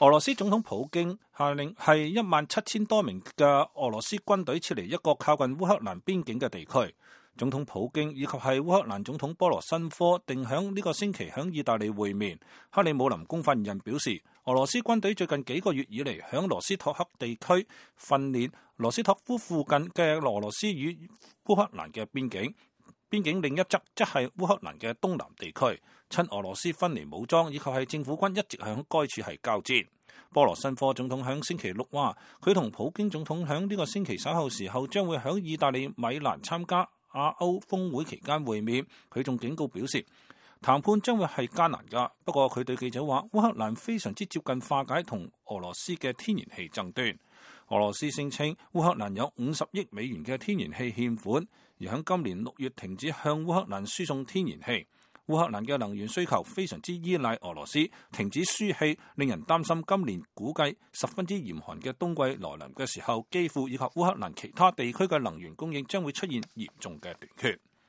俄羅斯總統普京下令係17000多名嘅俄羅斯軍隊撤離一個靠近烏克蘭邊境嘅地區。總統普京以及係烏克蘭總統波羅申科定響呢個星期響意大利會面。克里姆林宮發言人表示，俄羅斯軍隊最近幾個月以嚟響羅斯托克地區訓練羅斯托夫附近嘅俄羅斯與烏克蘭嘅邊境。邊境另一側即係烏克蘭嘅東南地區，親俄羅斯分離武裝以及係政府軍一直響該處係交戰。波羅申科總統響星期六話，佢同普京總統響呢個星期稍後時候將會響意大利米蘭參加亞歐峰會期間會面。佢仲警告表示，談判將會係艱難㗎。不過佢對記者話，烏克蘭非常之接近化解同俄羅斯嘅天然氣爭端。俄羅斯聲稱烏克蘭有50億美元嘅天然氣欠款，而喺今年6月停止向烏克蘭輸送天然氣。烏克蘭嘅能源需求非常之依賴俄羅斯，停止輸氣令人擔心今年估計十分之嚴寒嘅冬季來臨嘅時候，基輔以及烏克蘭其他地區嘅能源供應將會出現嚴重嘅短缺。